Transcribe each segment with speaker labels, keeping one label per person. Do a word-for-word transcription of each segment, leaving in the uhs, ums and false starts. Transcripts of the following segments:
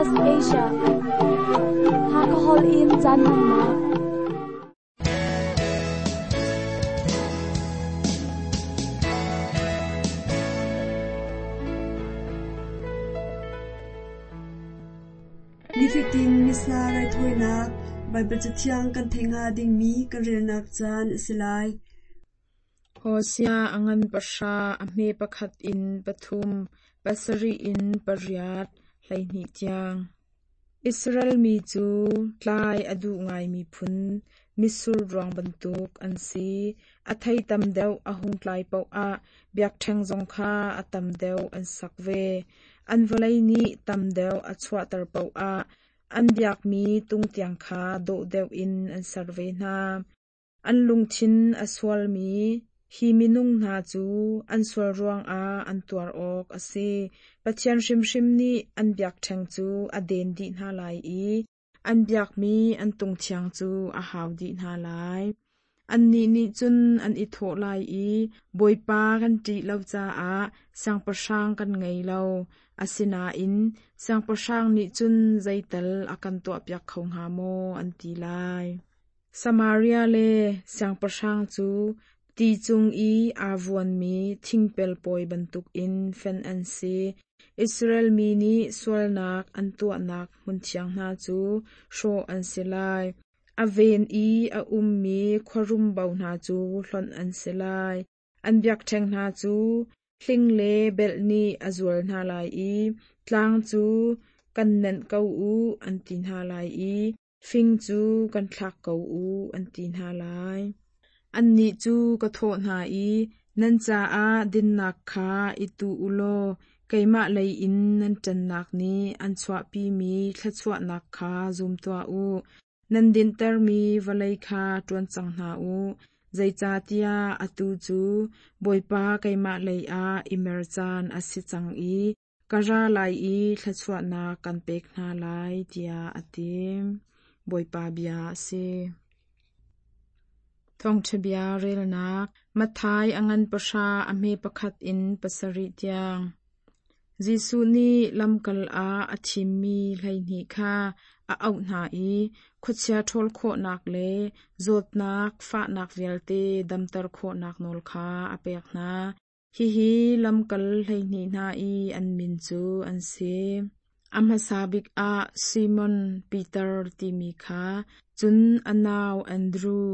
Speaker 1: S B S Asia. Hakahol in caan hmannak.
Speaker 2: Nifatin Missa raithawinak Baibal Cathiang kan theih hnga dingmi kan relnak caan a si lai.
Speaker 3: Hosea a ngan pahra, a hme pakhat in pathum, pasarih in pariat, hleihnih tiang. Israel mi cu tlai a duh ngaimi phun, mitsur ruang bantuk an si. A thei tam deuh a hung tlai paoh ah biakṭheng zong kha a tam deuh an sak ve. An vawlei nih tam deuh a chuahter paoh ah an biakmi tung tiang kha dawh deuh in an ser ve hna. An lungthin a sualmi hi minung hna cu an sual ruangah an tuar awk a si. Pathian hrimhrim nih an biakṭheng cu a den dih hna lai i an biakmi an tung thiang cu a hau dih hna lai. Annih nih cun an i thawh lai i Bawipa kan ṭih lo caah siangpahrang kan ngei lo. Asinain siangpahrang nih cun zeital a kan tuahpiak kho hnga maw an ti lai. Samaria le siangpahrang cu ti cung i aa vuanmi thingpel pawi bantukin fenh an si. Israel mi nih sualnak an tuahnak hmunthiang hna cu hrawh an si lai. A ven i a ummi khuarumbo hna cu hlonh an si lai. An biakṭheng hna cu hling le belh nih a zual hna lai i tlang cu kan nenh ko u an ti hna lai i fing cu kan thlak ko u an ti hna lai. Annih cu ka thawh hna i nan caah dinnak kha i tuh u law keimah lei in nan ṭannak nih an chuahpimi thluachuahnak kha zum tuah u. Nan dinhtermi vawlei kha ṭuan cang hna u. Zeicahtiah atu cu Bawipa keimah lei ah i mer caan a si cang i ka ra lai i thluachuahnak kan pek hna lai, tiah a ti. Bawipa bia a si. Thawngṭha bia relnak Matthai a ngan pahra a hme pakhat in pasarih tiang. Jesuh nih lamkal ah a thimmi hleihnih kha a auh hna i khuachia ṭhawl khawhnak le zawtnak fahnak vialte damter khawhnak nawl kha a pek hna. Hihi lamkal hleihnih hna i an min cu an si. A hmasa bik ah Simon Peter timi kha, cun a nau Andru,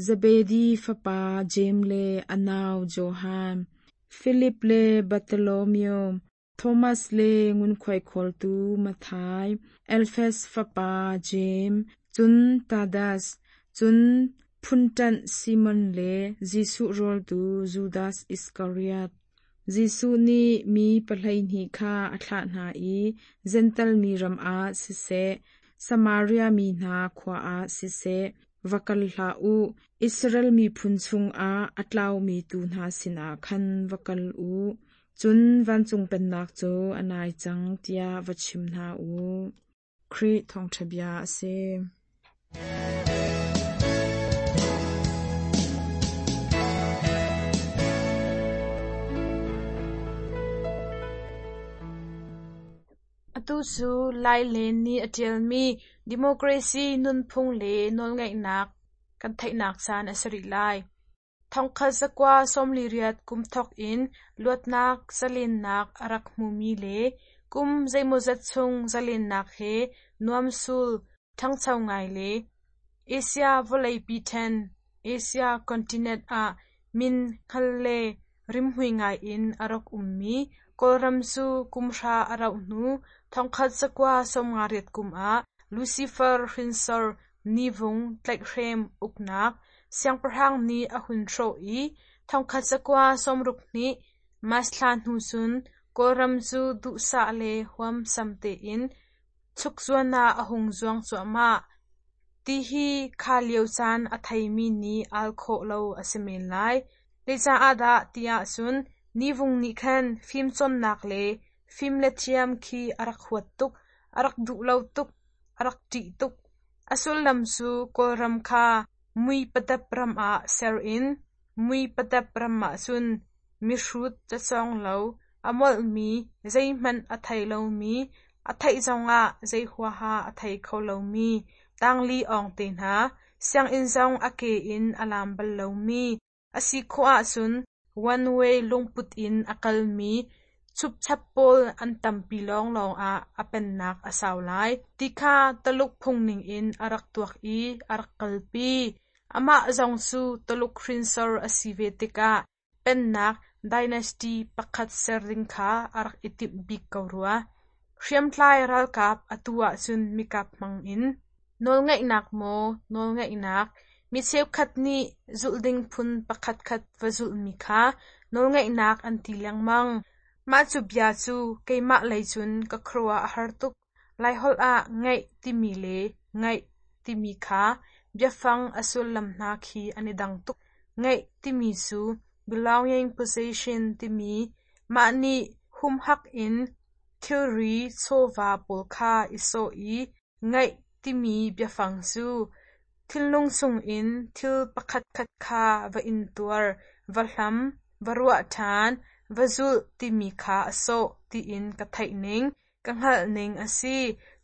Speaker 3: Zebedi fapa Jeim le a nau Johan, Filip le Bartholomew, Thomas le ngunkhuai khawltu Matthai, Alfeus fapa Jeim, cun Tadas, cun phunṭanh Simon le Jesuh rawltu Judas Iskariot. Jesuh nih mi pahleihnih kha a thlah hna i Jentail mi ram ah siseh, Samaria mi hna khua ah siseh, va kal hlah u. Israel miphun chungah a tlaumi tuu hna sinah khan va kal u. Cun vancung pennak cu a nai cang tiah va chim hna u. Khrih thawngṭha bia a si.
Speaker 4: Atu cu Lai Len nih a ṭialmi Democracy nunphung le nawlngeihnak kan theihnak caan a si rih lai. Thongkhat zakua sawmli riat kum thawk in luatnak zalennak a rak hmumi le kum zeimawzat chung zalennak he nuamsul ṭhangcho ngai le Asia vawleipi ṭhen Asia continent ah min hngal le rimhmui ngai in a rak ummi Kawlram cu kum hra a rauh hnu thongkhat zakua sawmnga riat kum ah Lucifer hrinsor Nivung tlaihhrem uknak siangpahrang nih a hun hrawh i thongkhat zakua sawmruk hnih March thla hnu cun Kawlram cu duhsah le huamsam tein chukzuan ah a hung zuang cuahmah. Tihi kha lio caan a theimi nih al khawh lo a si men lai. Zeicaah dah tiah cun Nivung nih khan fimcawnnak le fim le thiam khi a rak huat tuk, a rak duh lo tuk, a rak ṭih tuk. A sullam cu Kawlram kha mui padap ram ah ser in mui padap ram ah cun mihrut cacawng lo, a molhmi, zeihmanh a thei lomi, A theih zongah zei huaha a thei kho lomi tangli awng te hna, sianginn zong a ke in a lam bal lomi, a si khawh ahcun one way lungput in a kalmi chupchap pawl an tampi lawnglawng ah a pennak a sau lai, ti kha Tuluk phung ningin a rak tuak i a rak kalpi. Amah zong cu Tuluk hrinsor a si ve tikah pennak dynasty pakhat ser ding kha a rak i timh bik ko rua. Hriamtlai ralkap atu ahcun mikap hmangin nawlngeihnak maw nawlngeihnak, mi cheukhat nih zulh ding phun pakhatkhat va zulhmi kha nawlngeihnak an ti lengmang. Mah cu bia cu keimah lei cun ka khuaruah a har tuk. Laiholh ah ngeih timi le ngaih timi kha biafang a sullam hna khi an i dang tuk. Ngeih timi cu belonging possession timi mah nih humhak in thilri chawva pawl kha i sawh i ngaih timi biafang cu thinlung chungin thil pakhatkhat kha va intuar, va hlam, va ruah ṭhan, va zulh timi kha a sawh tiin ka theih ning, ka hngalh ning a si.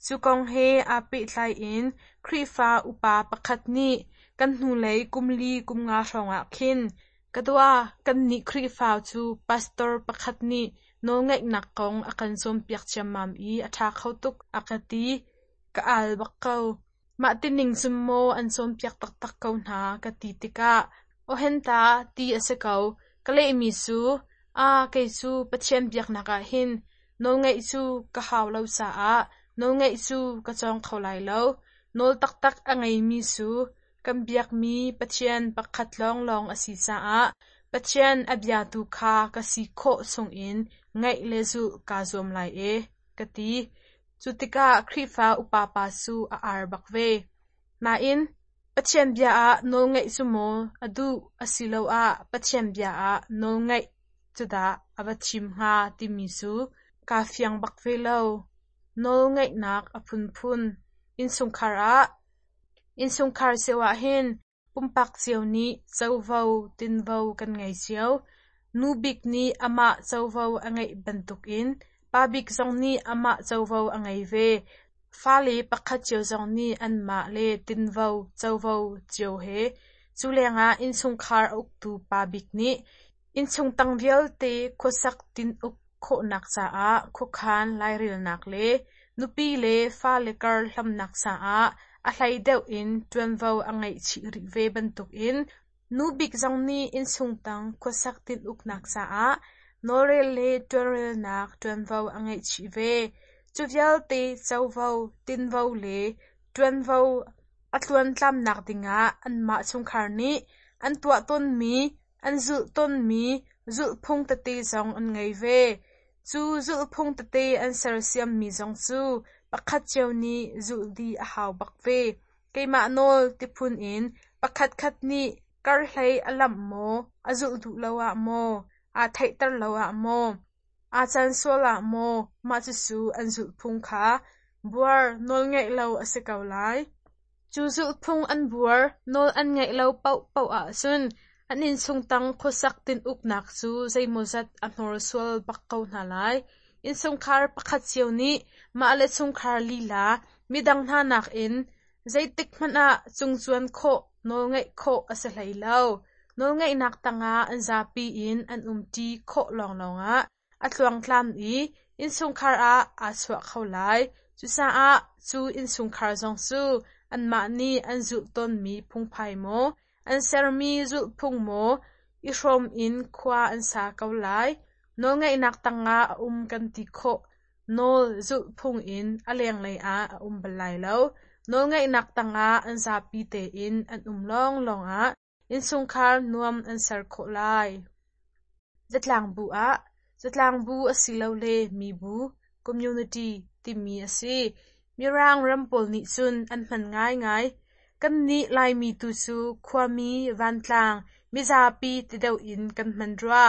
Speaker 4: Cu kong he aa pehtlai in Khrihfa upa pakhat nih kan hnulei kum li kum nga hrawngah khin ka dua kannih Khrihfa cu pastor pakhat nih nawlngeihnak kong a kan cawnpiak ciammam i a ṭha kho tuk a ka ti. Ka al bak ko. Mah tining cun maw an cawnpiak taktak ko hna ka ti tikah awhenta ti a si ko. Ka lehmi cu, aa kei cu Pathian biaknak ah hin nawlngeih cu ka hau lo caah nawlngeih cu ka cawng kho lai lo. Nawl taktak a ngeimi cu kan biakmi Pathian pakhat lawnglawng a si caah Pathian a biatu kha ka si khawh chungin ngaih le zulh kaa zuam lai e, ka ti. Cu tikah Khrihfa upa pa cu a ar bak ve. Nain, Pathian bia ah nawlngeih cu maw a duh asiloah Pathian bia ah nawlngeih cu dah a va thim hnga timi cu kaa fiang bak ve lo. Nawlngeihnak a phunphun. Innchungkhar ah Innchungkhar cio ah hin pumpak cio nih covo tinvo kan ngei cio. Nu bik nih amah covo a ngeih bantukin pa bik zong nih amah covo a ngei ve. Fale pakhat cio zong nih anmah le tinvo covo cio he. Cu lengah innchungkhar a uktu pa bik nih innchung tang vialte khuasak tin-uk khawhnak caah khuakhan lairelnak le nupi le fale kar hlamnak caah a hlei deuh in ṭuanvo a ngeih chih rih ve bantukin nu bik zong nih innchung tang khuasak tin-uknak caah nawlrel le ṭuanrelnak ṭuanvo a ngeih chih ve. Cu vialte covo, tinvo le ṭuanvo a tluantlamnak dingah anmah chungkhar nih an tuah tawnmi, an zulh tawnmi zulhphung tete zong an ngei ve. Cu zulhphung tete an sersiammi zong cu pakhat cio nih zulh dih a hau bak ve. Keimah nawl tiphun in pakhatkhat nih karhlei a lamh maw, a zulh duh lo ah maw, aa theihter lo ah maw, aa can sual ah maw, mah cucu an zulhphung kha buar nawlngeih lo a si ko lai. Cu zulhphung an buar nawl an ngeih lo paohpaoh ahcun an innchung tang khuasak tin-uknak cu zeimawzat a hnorsual bak ko hna lai. Innchungkhar pakhat cio nih mah le chungkhar lila midang hna nakin zeitik hmanh ah cungcuan khawh nawlngeih khawh a si hlei lo. Nawlngeihnak tangah an zapi in an umṭi khawh lawnglawng ah a tluangtlam i innchungkhar ah aa chuah kho lai. Cucaah cu innchungkhar zong cu anmah nih an zulh tawnmi phungphai maw, an sermi zulhphung maw i hrawm in khua an sa ko lai. Nawlngeihnak tangah a um kan ti khawh. Nawl zulhphung in a lenglei ah a um bal lai lo. Nawlngeihnak tangah an zapi tein an um lawnglawng ah innchungkhar nuam an ser khawh lai. Zatlangbu ah Zatlangbu asilole mibu community timi a si. Mirang ram pawl nih cun an hman ngaingai. Kannih Laimi tu cu khuami, vantlang, mizapi ti deuh in kan hman rua.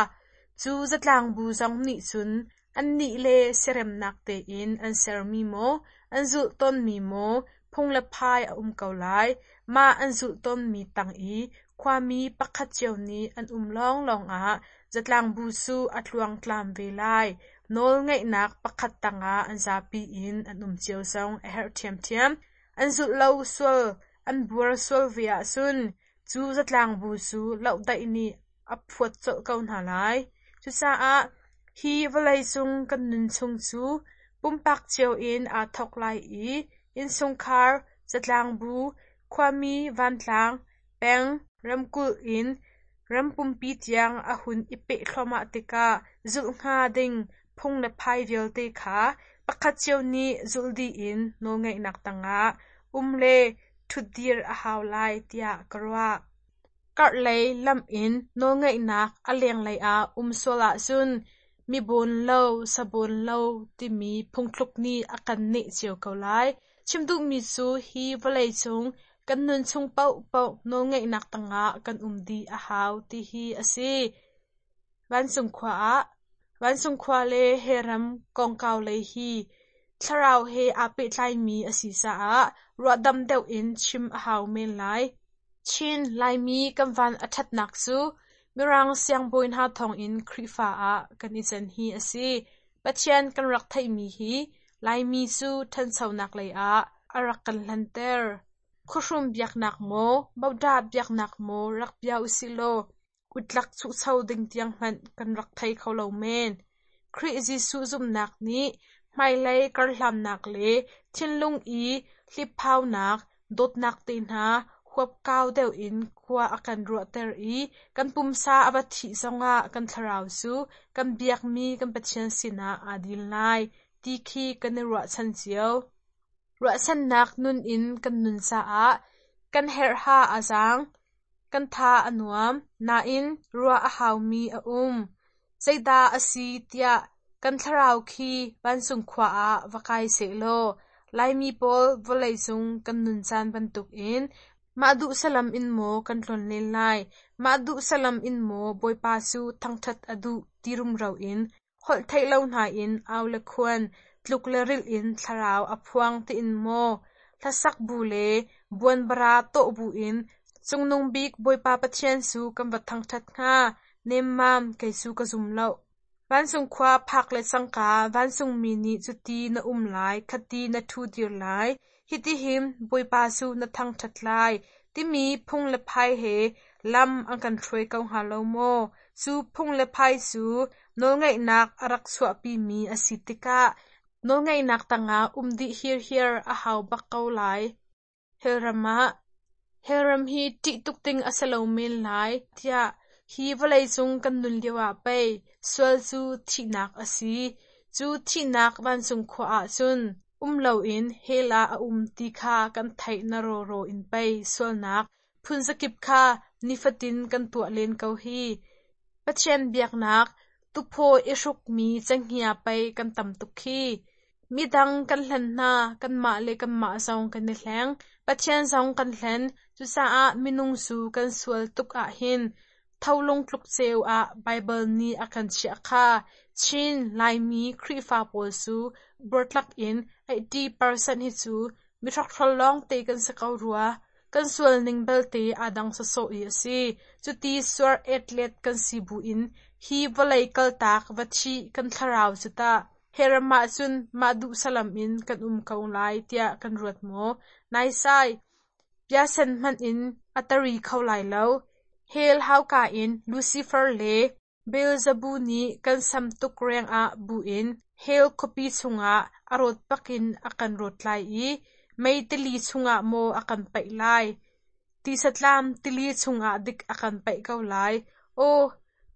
Speaker 4: Cu zatlangbu zong nih cun annih le siaremnak tein an sermi maw, an zulh tawnmi maw phung le phai a um ko lai. Mah an zulh tawnmi tang i khuami pakhat cio nih an um lawnglawng ah zatlangbu cu a tluangtlam ve lai. Nawlngeihnak pakhat tangah an zapi in an um cio zong a herh ṭhiamṭhiam. An zulh lo sual, an buar sual ve ahcun cu zatlangbu cu lohdaih nih a phuat colh ko hna lai. Cucaah hi vawleicung kan nun chung cu pumpak cio in aa thawk lai i innchungkhar, zatlangbu, khuami vantlang, peng, ramkulh in ram pumpi tiang a hun i peh thluahmah tikah zulh hnga ding phung le phai vialte kha pakhat cio nih zulh dih in nawlngeihnak tangah um le ṭhutdir a hau lai tiah ka ruah. Karhlei lamh in nawlngeihnak a lenglei ah um sual ahcun mi bawn lo, sa bawn lo timi phungthluk nih a kan neh cio ko lai. Chim duhmi cu hi vawleicung kan nun chung paohpaoh nawlngeihnak tangah kan um dih a hau ti hi a si. Vancung khua ah Vancung khua le hellram kongkau lei hi thlarau he aa pehtlaimi a si caah ruahdam deuh in chim a hau men lai. Chin Laimi kan van a ṭhatnak cu Mirang siangbawi hna thawngin Khrihfa ah kan i can hi a si. Pathian kan rak theihmi hi Laimi cu ṭhanchonak lei ah a rak kan hlanter. Khuahrum biaknak maw, bodah biaknak maw rak bia usihlaw utlak chuhcho ding tiang hmanh kan rak thei kho lo men. Khrih Jesuh zumhnak nih hmailei karhlannak le thinlung i hliphaunak, dawtnak te hna huapkau deuh in khua a kan ruahter i kan pumsa a va thih zongah kan thlarau cu kan biakmi kan Pathian sinah aa dil lai ti khi kan i ruahchan cio. Ruahchannak nun in kan nun caah kan herhha a zaang, kan tha a nuam, nain ruah a haumi a um. Zeidah a si tiah kan thlarau khi vancung khua ah va kai sehlaw Laimi pawl vawleicung kan nun caan bantukin mah duh salam in maw kan tlonlen lai, mah duh salam in maw Bawipa cu thangṭhat a duh ti rumro in holh theih lo hna in au le khuan, tluk le rilh in thlarau a phuang tiin maw hlasak bu le buanbara tawh bu in Cungnung bik Bawipa Pathian cu kan va thangṭhat hnga, nemmam kei cu ka zum lo. Vancung khua phak le cangka vancungmi nih cuti na um lai, khati na ṭhudir lai, hitihin Bawipa cu na thangṭhat lai, timi phung le phai he lam an kan hruai ko hnga lo maw? Cu phung le phai cu nawlngeihnak a rak chuahpimi a si tikah nawlngeihnak tangah um dih hirhiar a hau bak ko lai. Hellram ah Hellram hi ṭih tuk ding a si lo men lai tiah hi vawleicung kan nun lioah pei sual cu thihnak a si. Cu thihnak vancung khua ah cun um loin hell ah a um ti kha kan theih na rawraw in pei sualnak phunzakip kha nifatin kan tuah len ko hi. Pathian biaknak tuphaw i hrukmi cenghngia pei kan tam tuk khi. Midang kan hlen hna, kanmah le kanmah zong kan i hleng. Pathian zong kan hlen. Cucaah minung cu kan sual tuk ahhin tholung tluk ceu ah Baibal nih a kan chiah kha. Chin Laimi Khrihfa pawl cu buartlak in eighty percent hi cu mihrokhrol lawngte kan si ko rua. Kan sual ning belte aa dang sawsawh i a si. Cuti suar etlet kan si buin hi vawlei kaltak va thih kan thlarau cu tah hellram ah cun mah duh salam in kan um ko lai tiah kan ruat maw? Naisai, piasen hmanh in a tari kho lai lo. Hell hauka in Lucifer le Beelzebub nih kan sam tuk rengah buin hell khuapi chungah a rawt bakin a kan rawt lai i mei tili chungah maw a kan paih lai? Tisatlam tili chungah dik a kan paih ko lai. Aw,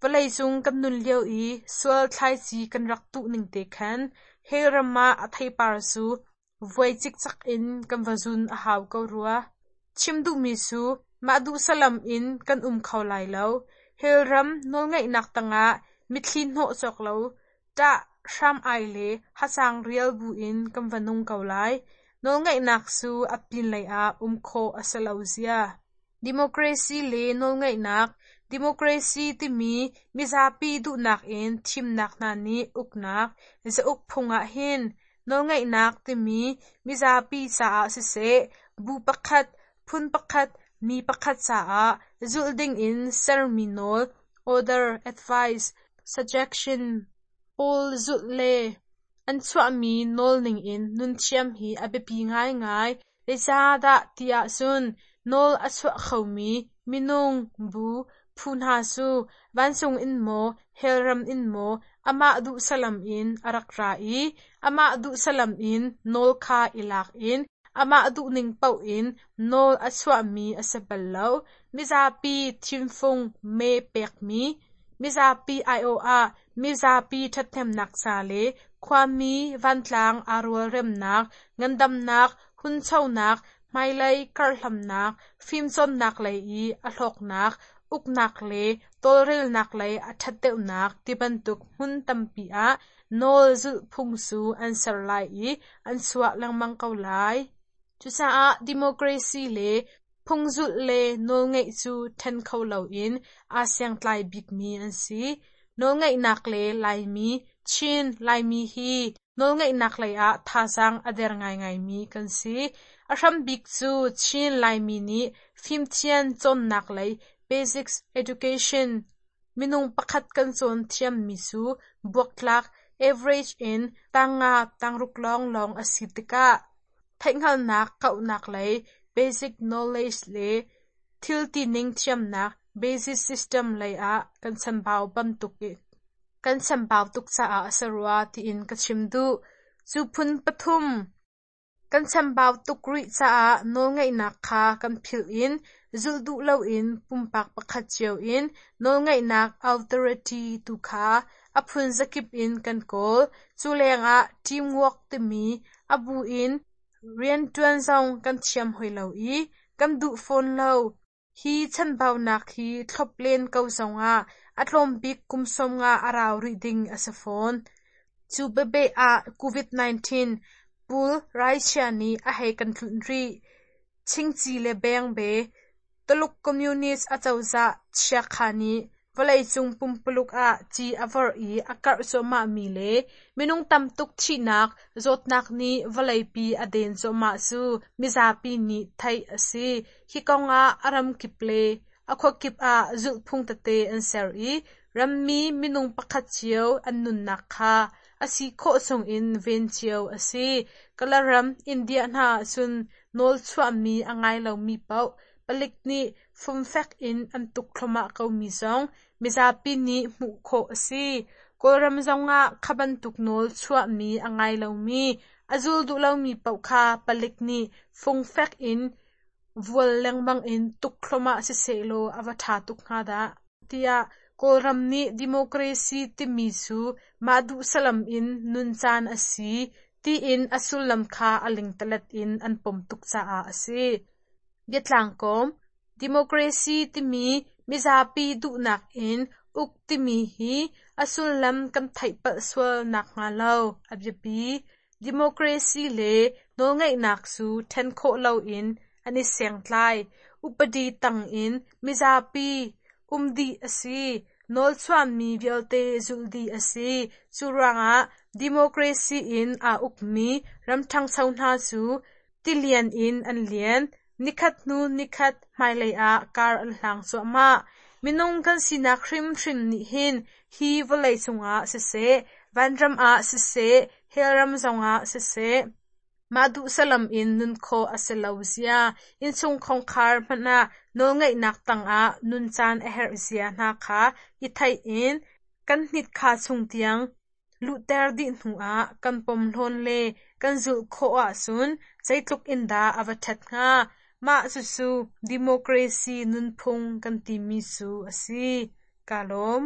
Speaker 4: vawleicung kan nun lio i sual thlaici kan rak tuh ning te khan hell ram ah a theipar cu vuai cikcak in kan va zun a hau ko rua. Chim duhmi cu mah duh salam in kan um kho lai lo. Hell ram nawlngeihnak tangah mitthli hnawh cawk lo, ṭah hram ai le hacang rial buin kan va nung ko lai. Nawlngeihnak cu a pinlei ah um khawh a si lo zia. Democracy le nawlngeihnak. Democracy timi mizapi duhnak in thimnak hna nih uknak, zauk phung ah hin nawlngeihnak timi mizapi caah siseh, bu pakhat, phun pakhat, mi pakhat caah zulh dingin sermi nawl, order, advice, suggestion, pawl zulh le an chuahmi nawl ningin nun thiam hi a biapi ngaingai. Zeicahdah ti ahcun nawl a chuah khomi minung, bu, phu hna cu vancung in maw, hell ram in maw amah duh salam in a rak ra i amah duh salam in nawl kha i lak in amah duhning paoh in nawl a chuahmi a si bal lo. Mizapi thimfung mee pekmi, mizapi aiawh ah mizapi ṭhathnemnak ca le khuami vantlang aa rualremnak, ngandamnak, hunchonak, hmailei karhlamnak, fimcawnnak lei i a hlawknak, uknak le tawlrelnak lei a ṭhat deuhnak tibantuk hmun tampi ah nawl zulhphung cu an ser lai i an chuah lengmang ko lai. Cucaah democracy le phungzulh le nawlngeih cu ṭhen kho loin aa siangtlai bikmi an si. Nawlngeihnak le Laimi, Chin Laimi hi nawlngeihnak lei ah thazaang a der ngaingaimi kan si. A hrambik cu Chin Laimi nih fimthiam cawnnak lei basic education minung pakhat kan cawn thiammi cu buaktlak average in tangnga tangruk lawnglawng a si tikah theihhngalhnak kauhnak lei basic knowledge le thil tining thiamnak basic system lei ah kan chambau bantuk kan chambau tuk caah a si rua tiin ka chim duh. Cu phun pathum kan chambau tuk rih caah nawlngeihnak kha kan philh in zulh duh loin pumpak pakhat cio in nawlngeihnak authority tu kha a phun zakip in kan kawl. Cu lengah teamwork timi a bu in rianṭuan zong kan thiam hoi lo i kan duh fawn lo. Hi chanbaunak hi thlop len ko zongah a tlawm bik kum sawmnga a rau rih ding a si fawn. Cu bebe ah COVID nineteen pul raichia nih a hei kan tlunh rih. Chingchi le bengbe Tuluk Communist acozah chiakha nih vawleicung pumpuluk ah ci a vorh i a karh cuahmahmi le minung tamtuk thihnak zawtnak nih vawleipi a den cuahmah cu mizapi nih theih a si. Hi kongah a ramkip le a khuakip ah zulhphung tete an ser i rammi minung pakhat cio an nunnak kha a si khawh chungin ven cio a si. Kalaram India hna ahcun nawl chuahmi a ngai lomi paoh palik nih fumfek in an tuk thluahmah komi zong mizapi nih hmuh khawh a si. Kawlram zongah kha bantuk nawl chuahmi a ngai lomi, a zul duh lomi paoh kha palik nih fungfek in vual lengmang in tuk thluahmah sisehlaw a va ṭha tuk hnga dah tiah Kawlram nih democracy timi cu mah duh salam in nun caan a si tiin a sullam kha a lingtalet in an pom tuk caah a si. Biatlangkawm democracy timi mizapi duhnak in uk timi hi a sullam kan theih palh sual nakhnga lo a biapi. Democracy le nawlngeihnak cu ṭhen khawh loin an i sengtlai. Upadi tangin mizapi um dih a si. Nawl chuahmi vialte zulh dih a si. Cu ruangah democracy in aa ukmi ram ṭhangcho hna cu tilian in an lian. Nikhat hnu nikhat hmailei ah kar an hlang cuahmah. Minung kan sinak hrimhrim nih hin hi vawlei cungah siseh, vanram ah siseh, hell ram zongah siseh, mah duh salam in nun khawh a si lo zia, innchung khongkhar hmanh ah nawlngeihnak tangah nun caan a herh zia hna kha i theih in kan hnit kha chung tiang luhter dih hnuah kan pom hlawn le kan zulh khawh ahcun zeitluk in dah a va ṭhat hnga. Mah cucu democracy nunphung kan timi cu a si. Ka lawm.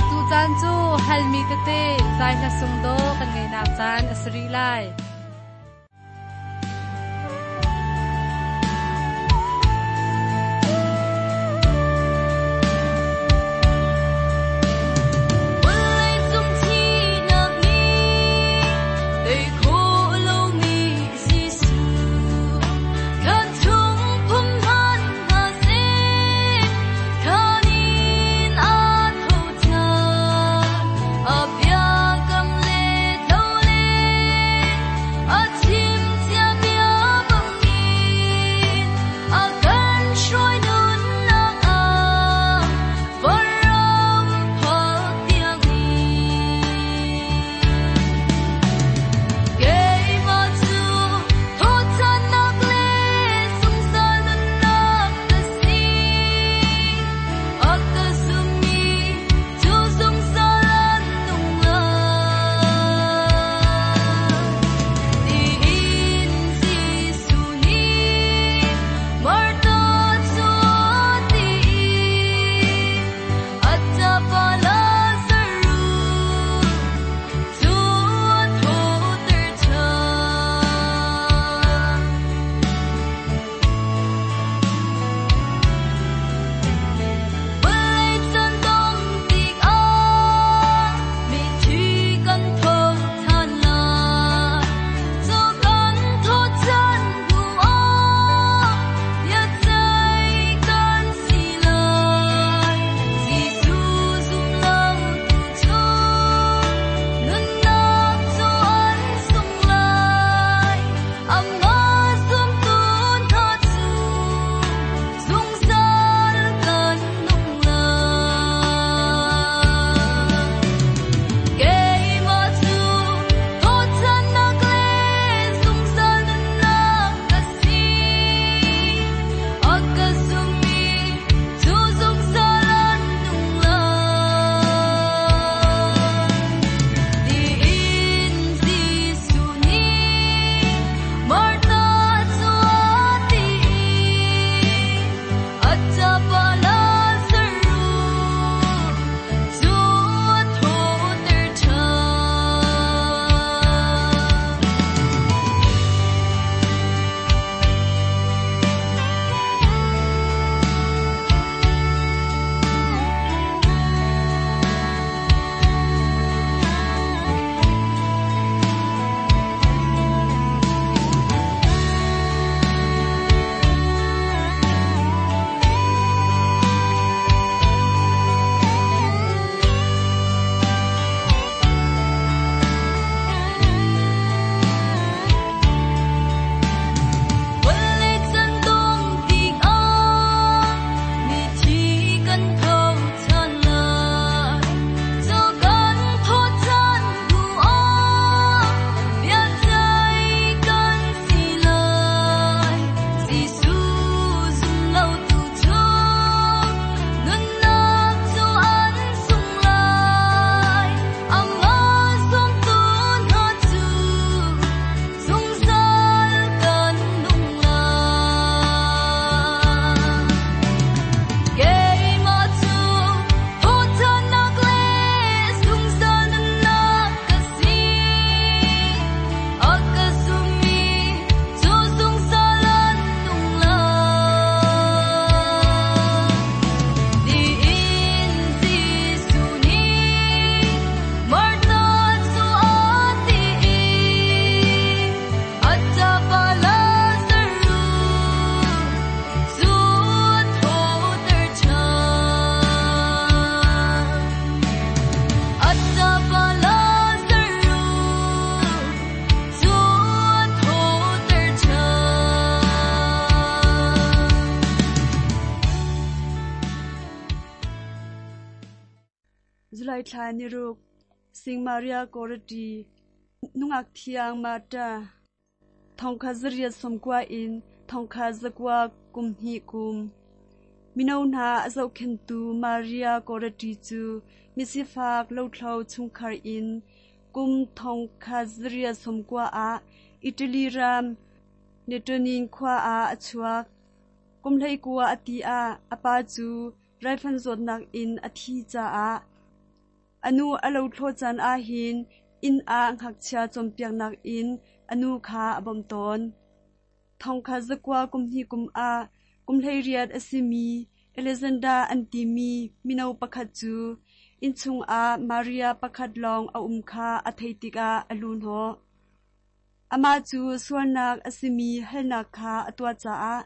Speaker 5: Tucaan cu halmi tete zai hla sung do kan ngeinak caan a si rih lai.
Speaker 1: Up
Speaker 2: July thla niruk Sing Maria Goretti nungak thiang Marta thongkhat zariat sawmkua in thongkhat zakua kum hnih kum. Mino hna a zohkhenhtu Maria Goretti cu misifak lothlo chungkhar in kum thongkhat zariat sawmkua ah Italy ram Netonin khua ah a chuak. Kum hleikua a ti ah a pa cu raifanh zawtnak in a thi caah a nu a lothlawh caan ahhin inn ah ngakchia cawnpiaknak in a nu kha a bawmh tawn. Thongkhat zakua kum hnih kum ah kum hleiriat a simi Alexander an timi mino pakhat cu innchung ah Maria pakhat lawng a um kha a theih tikah a luhhnawh. Amah cu sualnak a simi halnak kha a tuah caah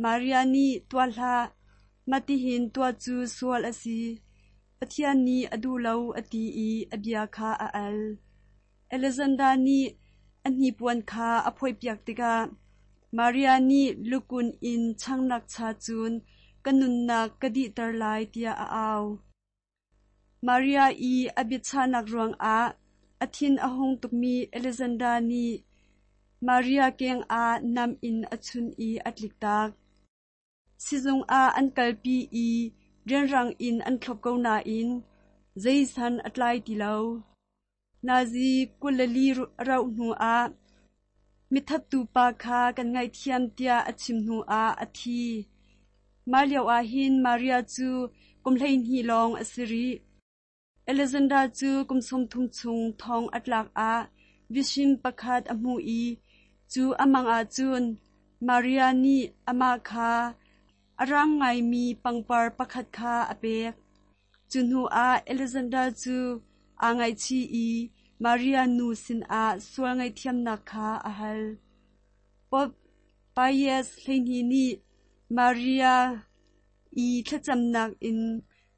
Speaker 2: Maria nih tuah hlah, mah-tihin tuah cu sual a si. Pathian nih a duh lo a ti i a bia kha a al. Alexander nih a hnipuan kha a phoihpiak tikah Maria nih lukun in changnak cha cun ka nunnak ka dihter lai tiah a au. Maria i a biachahnak ruangah a thin a hung tukmi Alexander nih Maria keng ah nam in a chunh i a tliktak. Sizung ah an kalpi i rianrang in an thlop ko nain zei san a tlai ti lo. Nazi kul le li rauh hnuah mithattu pa kha kan ngaihthiam tiah a chim hnuah a thi. Mah lio ahhin Maria cu kum hleihnih lawng a si rih. Alexander cu kum sawmthum chung thong a tlak ah vision pakhat a hmu i cu a mang ahcun Maria nih amah kha a rang ngaimi pangpar pakhat kha a pek. Cu hnuah Alexander cu aa ngaihchih i Maria nu sinah sual ngaihthiamnak kha a hal. Pope Pius hleihnih nih Maria i thlacamnak in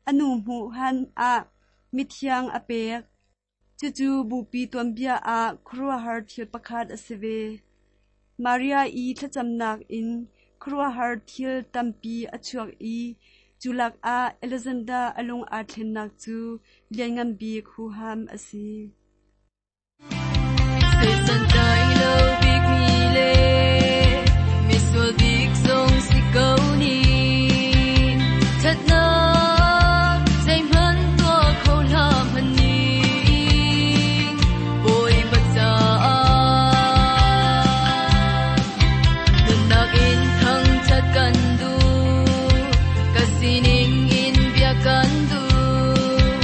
Speaker 2: a nu hmuh han ah mithiang a pek. Cucu bupi tuanbia ah khuaruahhar thil pakhat a si ve. Maria i thlacamnak in khuaruahhar thil tampi a chuak i cu lakah Alexander a lung aa thlennak cu lianngan bik huham a si.
Speaker 5: Santlai lo bik mi le misual bik zong si ko ning thatnak zeihmanh tuah kho hlah hmanh ning Bawipa caah nunnak in thangthat kan duh ka sining in bia kan duh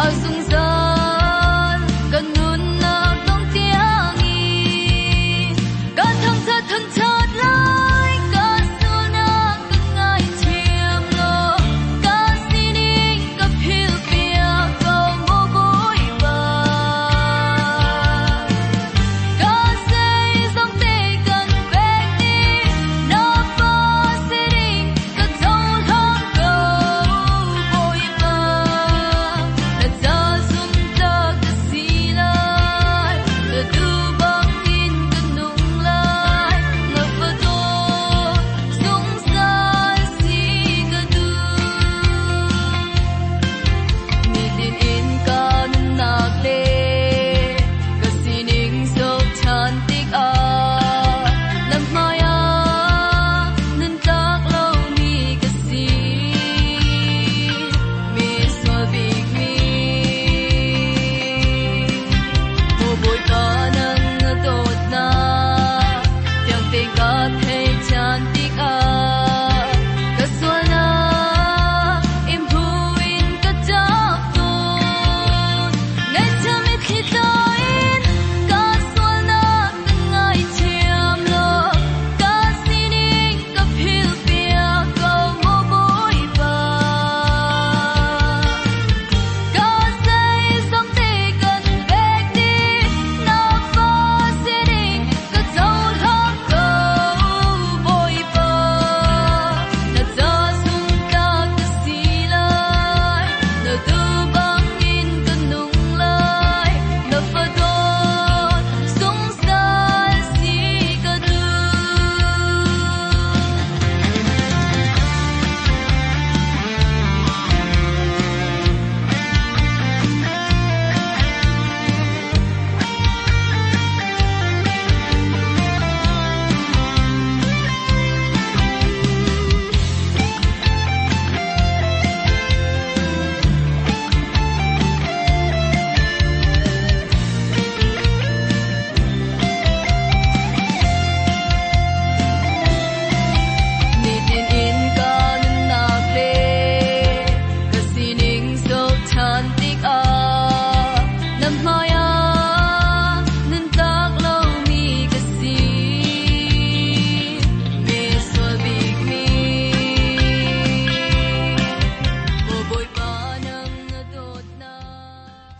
Speaker 5: a zungzal kan nunnak dong tiangin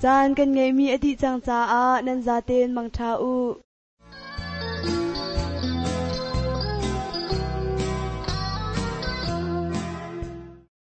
Speaker 2: Caan kan ngeihmi a dih cang caah nan zaten mangṭha u.